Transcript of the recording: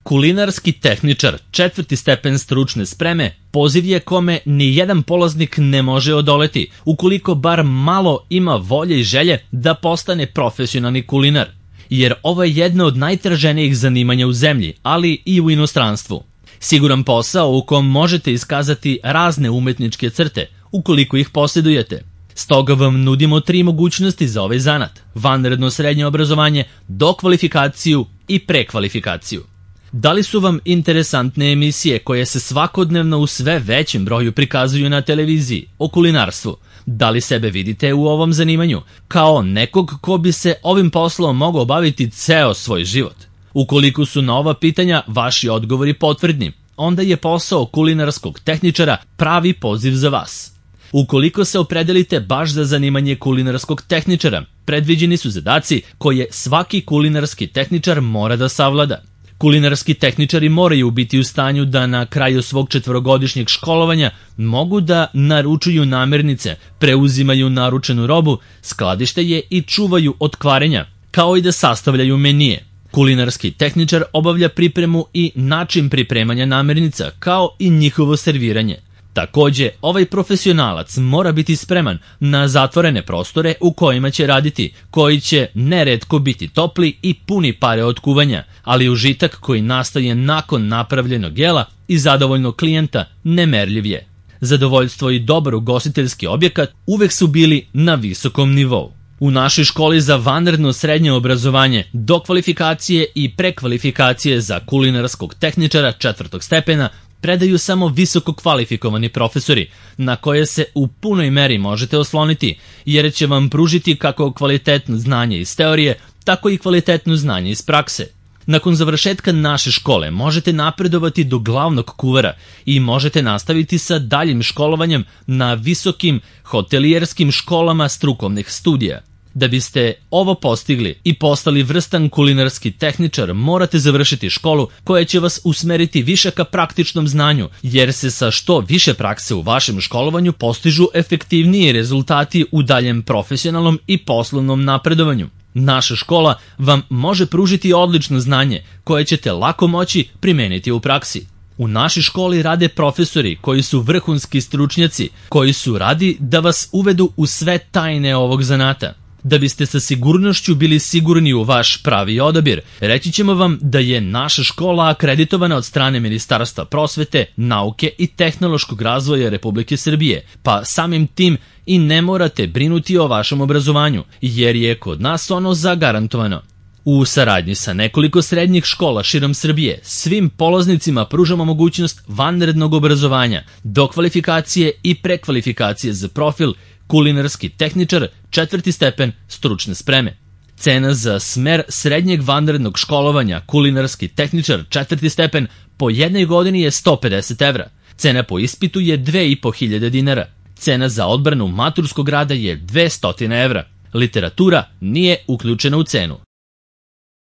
Kulinarski tehničar, 4. stepen stručne spreme, poziv je kome ni jedan polaznik ne može odoleti, ukoliko bar malo ima volje i želje da postane profesionalni kulinar. Jer ovo je jedno od najtraženijih zanimanja u zemlji, ali i u inostranstvu. Siguran posao u kom možete iskazati razne umetničke crte, ukoliko ih posjedujete. Stoga vam nudimo 3 mogućnosti za ovaj zanat: vanredno srednje obrazovanje, dokvalifikaciju i prekvalifikaciju. Da li su vam interesantne emisije koje se svakodnevno u sve većem broju prikazuju na televiziji o kulinarstvu? Da li sebe vidite u ovom zanimanju kao nekog ko bi se ovim poslom mogao baviti ceo svoj život? Ukoliko su na ova pitanja vaši odgovori potvrdni, onda je posao kulinarskog tehničara pravi poziv za vas. Ukoliko se opredelite baš za zanimanje kulinarskog tehničara, predviđeni su zadaci koje svaki kulinarski tehničar mora da savlada. Kulinarski tehničari moraju biti u stanju da na kraju svog 4-godišnjeg školovanja mogu da naručuju namirnice, preuzimaju naručenu robu, skladište je i čuvaju od kvarenja, kao i da sastavljaju menije. Kulinarski tehničar obavlja pripremu i način pripremanja namirnica, kao i njihovo serviranje. Takođe, ovaj profesionalac mora biti spreman na zatvorene prostore u kojima će raditi, koji će neretko biti topli i puni pare od kuvanja, ali užitak koji nastaje nakon napravljenog jela i zadovoljnog klijenta nemerljiv je. Zadovoljstvo i dobar ugostiteljski objekat uvek su bili na visokom nivou. U našoj školi za vanredno srednje obrazovanje, dokvalifikacije i prekvalifikacije za kulinarskog tehničara 4. stepena predaju samo visoko kvalifikovani profesori, na koje se u punoj meri možete osloniti, jer će vam pružiti kako kvalitetno znanje iz teorije, tako i kvalitetno znanje iz prakse. Nakon završetka naše škole možete napredovati do glavnog kuvara i možete nastaviti sa daljim školovanjem na visokim hotelijerskim školama strukovnih studija. Da biste ovo postigli i postali vrstan kulinarski tehničar, morate završiti školu koja će vas usmeriti više ka praktičnom znanju, jer se sa što više prakse u vašem školovanju postižu efektivniji rezultati u daljem profesionalnom i poslovnom napredovanju. Naša škola vam može pružiti odlično znanje koje ćete lako moći primeniti u praksi. U našoj školi rade profesori koji su vrhunski stručnjaci, koji su radi da vas uvedu u sve tajne ovog zanata. Da biste sa sigurnošću bili sigurni u vaš pravi odabir, reći ćemo vam da je naša škola akreditovana od strane Ministarstva prosvete, nauke i tehnološkog razvoja Republike Srbije, pa samim tim i ne morate brinuti o vašem obrazovanju, jer je kod nas ono zagarantovano. U saradnji sa nekoliko srednjih škola širom Srbije, svim polaznicima pružamo mogućnost vanrednog obrazovanja, dokvalifikacije i prekvalifikacije za profil kulinarski tehničar 4. stepen stručne spreme. Cena za smer srednjeg vanrednog školovanja kulinarski tehničar 4. stepen po jednoj godini je 150 evra. Cena po ispitu je 2500 dinara. Cena za odbranu maturskog rada je 200 evra. Literatura nije uključena u cenu.